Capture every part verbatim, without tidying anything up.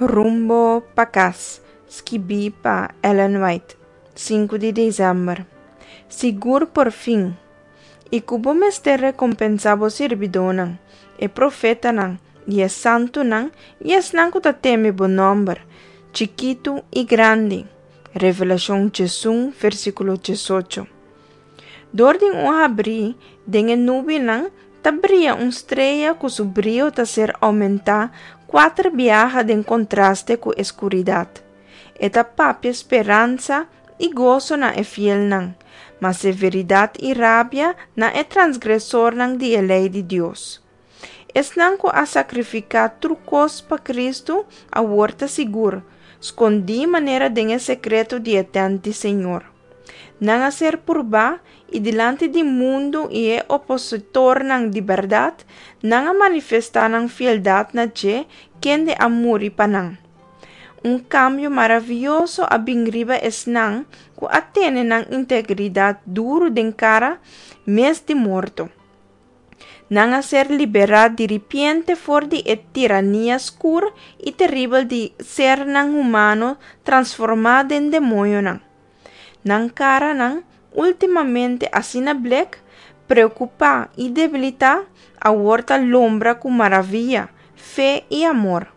Rumbo pa kas, skibí pa Ellen White, sinku di desèmber. Sigur por fin. I ku bo mester rekompensá bo sirbidónan, e profetanan, i e santunan, i esnan ku ta teme bo nòmber, chikitu i grandi. Revelashon diesun, versíkulo diesocho. Dor di un habrí den e nubianan ta bria un strea ku su brio ta ser oumentá kuater biaha den kontraste ku e skuridat. E ta papia speransa i goso na e fielnan, ma severidat i rabia na e transgresornan di e lei di Dios. Esnan ku a sakrifiká tur kos pa Kristu awor ta sigur, skondí manera den e sekreto di e tènt di Señor. Nan a ser purbá i dilanti di mundu i e opositornan di bèrdat, nan a manifestá nan fieldat na dje kende a muri pa nan. Un kambio maravioso a bin riba esnan ku a tene nan integridat duru den kara mes di morto. Nan a ser liberá diripiente for di e tirania skur i teribel di sernan humano transformá den demoñonan. Nan karanan, últimamente asina blek, preokupá i debilitá, awor ta lombra ku maravia, fe i amor.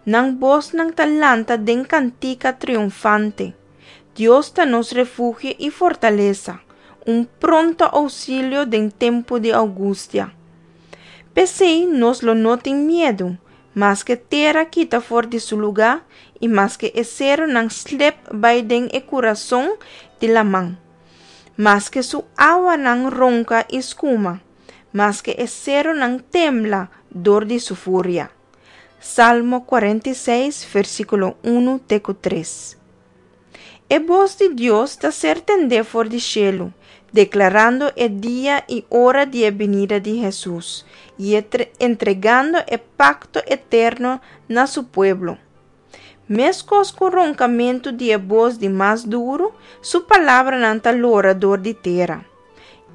Nan bosnan ta lanta den kantika triunfante. Dios ta nos refugio i fortalesa, un pronto ousilio den tempu di angustia. P'esei nos lo no tin miedu, maske tera kita for di su lugá i maske e serunan slep bai den e kurason di laman. Maske su awanan ronka i skuma, maske e serunan tembla dor di su furia. Salmo kuarenta i seis, versíkulo un te ku tres. E bos di Dios ta ser tendé for di shelu, deklarando e dia i ora di e binida di Hesus i entregando e pakto eterno na su pueblo. Meskos ku ronkamentu di e bos di mas duru, su palabranan ta lora dor di tera.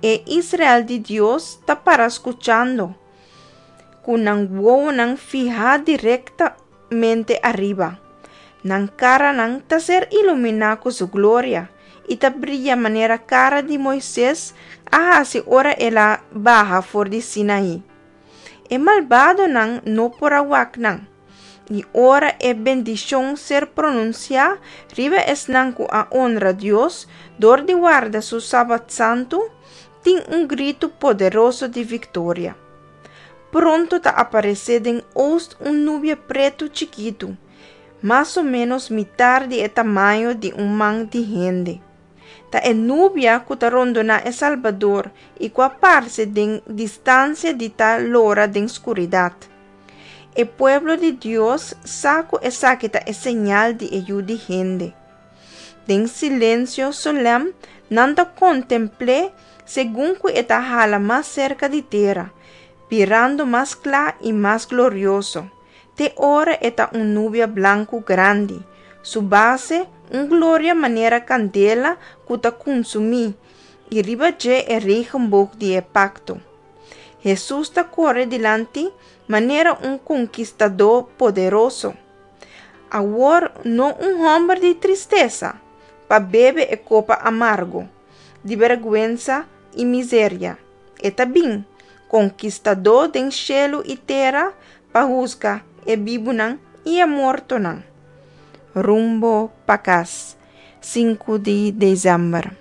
E Israel di Dios ta para skuchando, ku nan wowonan fihá direktamente ariba. Nan karanan ta ser iluminá ku su gloria i ta bria manera kara di Moises a hasi ora el a baha for di Sinaí. E malbadonan no por a wak nan, i ora e bendishon ser pronunsiá riba esnan ku a honra Dios dor di warda su sabat santu, tin un gritu poderoso di viktoria. Pronto ta aparesé den ost un nubia pretu chikitu, mas o ménos mitar di e tamaño di un man di hende. Ta e nubia ku ta rondoná e Salbador i ku a parse den distansia di ta lora den skuridat. E pueblo di Dios sa ku esaki ta e señal di e Yu di hende. Den silensio solèm nan ta kontempl'é segun ku e ta hala mas serka di tera, birando mas kla i mas glorioso, te ora e ta un nubia blanku grandi, su base un gloria manera kandela ku ta konsumí, i riba dje e regenboog di e pakto. Hesus ta kore dilanti manera un konkistadó poderoso. Awor no un hòmber di tristesa, pa bebe e kopa amargo, di bèrgwensa i miseria. E ta bin, konkistadó den shelu i tera, pa husga e bibunan i e mortonan. Rumbo pa kas, sinku di desèmber.